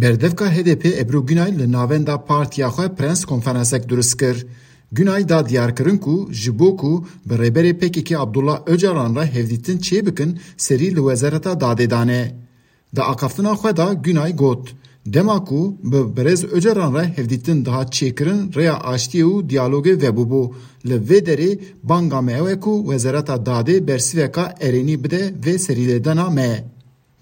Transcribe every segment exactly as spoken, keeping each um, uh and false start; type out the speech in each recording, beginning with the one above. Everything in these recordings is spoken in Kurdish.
Berdevka H D P Ebru Günay li navenda partiya xwe prens konferansek durist kir. Günay da diyarkirin ku ji bo ku bi rêberê P K K Abdullah Öcalan re hevdîtin çêbikin, serî li Wezareta Dadê dane. Di axaftina xwe de Günay got, dema ku bi birêz Öcalan re hevdîtin dihat çêkirin, rêya aştiyê û diyalogê vebûbû. Li vê derê banga me ew e ku Wezareta Dadê bersiveka erênî bide vê serîlêdana me.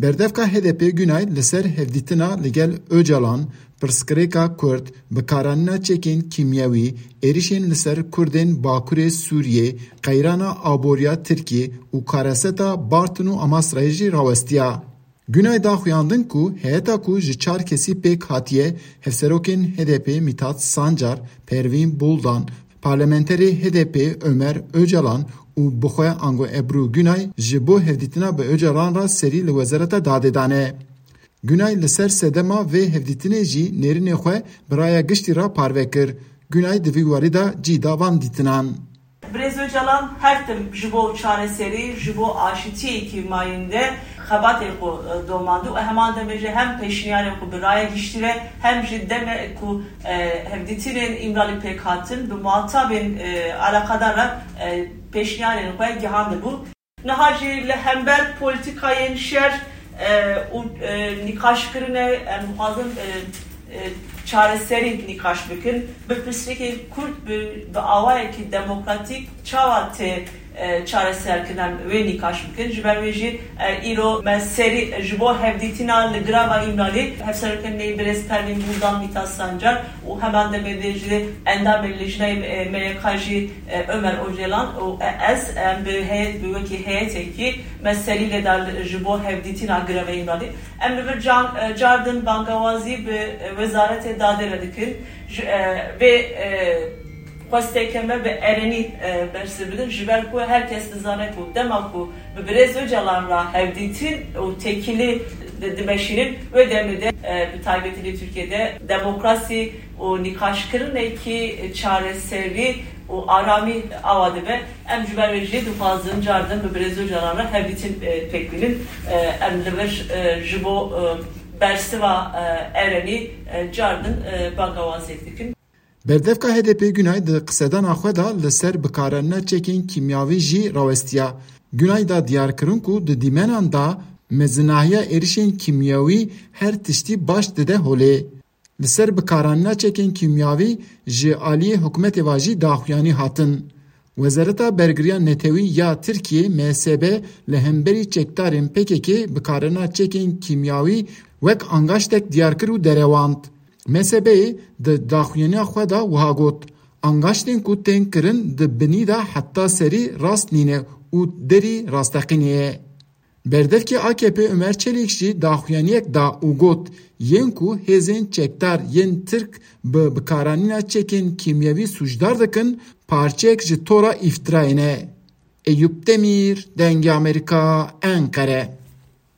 Berdevka H D P Günay li ser hevdîtina li gel Öcalan, pirsgirêka Kurd, bikaranîna çekên kîmyewî, êrişên li ser Kurdên Bakurê Sûriyê, qeyrana aboriya Tirkiyê û kareseta Bartin û Amasrayê jî rawestiya. Günay da xuyandin ku heyeta ku ji çar kesî pêk hatiye, hevserokên H D P Mithat Sancar, Pervîn Buldan, parlamenterê H D P Ömer Öcalan û bixwe ango Ebru Günay ji bo hevdîtina bi Öcalan re serî li Wezareta Dadê dane. Günay li ser sedema vê hevdîtinê jî nêrînê xwe bi raya giştî re parve kir. Günay di vî warî de cî da van dîtinan. Birêz Öcalan her tim ji bo çareserî, ji bo aşitiyekî mayînde xebatê xwe, e, domand û heman demê jî hem pêşniyarê xwe bi raya giştî ve hem jî demê ku, e, hevdîtinên Îmralî pêk hatin bi muhatabên, e, eleqedar re, e, pêşniyarên xwe gihandibû. Niha jî li hember polîtîkayên şer, e, û, e, nîqaşkirinê em dixwazin, e, e, çareserî nîqaş bikin. Bi pirsgirêkên Kurd bi, bi awayekî demokratîk çawa tê, e, çareserkirin, em wê nîqaş bikin. Ji ber wê jî, e, îro me serî ji bo hevdîtina li girava Îmralî, hevserokên neyî birêz Pervîn Buldan, Mîtat Sancar û heman demê de jî endamên Lijneyê, e, M Y K jî, e, Ömer Öcalan û, e, ez, em bi heyet, bi wekî heyetekî me serî lê da ji bo hevdîtina girava Îmralî. Em li vir can, e, cardin bangawazî bi, e, Wezaretê Dadê re dikin. Ji, e, vê, e, xwesteke me bi erenî, e, bersiv bidin. Ji ber ku her kes dizane ku dema ku bi birêz Öcalan re hevdîtin û têkilî di-, dimeşînin, wê demê de, e, bi taybetî li Tirkiyê de demokrasî û nîqaşkirinekî çareserî û aramî awa dibe. Em ji ber wê jî dixwazin cardin bi birêz Öcalan re hevdîtin, e, pêk bînin. E, em li vir, e, ji bo, e, bersiva, e, erenî, e, cardin, e, bangawaziyek dikin. Berdevka H D P Günay di qisedana xwe de li ser bikaranîna çekên kîmyawî jî rawestiya. Günay da diyarkirin ku di dîmenan de mezinahiya êrişên kîmyawî her tiştî baş dide holê. Li ser bikaranîna çekên kîmyawî ji aliyê hikûmetê ve jî daxuyanî hatin. Wezareta Bergiriya Netewî ya Tirkiyê, M S B, li hemberî çekdarên P K K bikaranîna çekên kîmyawî wek angaştek diyar kir û derewand. M S B'yê di daxuyaniya xwe de wiha got, angaştên ku tên kirin di binî de heta serî rast nîne û derî rasteqînê ye. Berdevkê A K P Ömer Çelik jî daxuyaniyek da û got, yên ku hêzên çekdar yên Tirk bi bikaranîna çekên kîmyewî sûcdar dikin, parçeyek ji tora îftirayê ne. Eyûp Demîr, Dengê Amerîka, Enqere.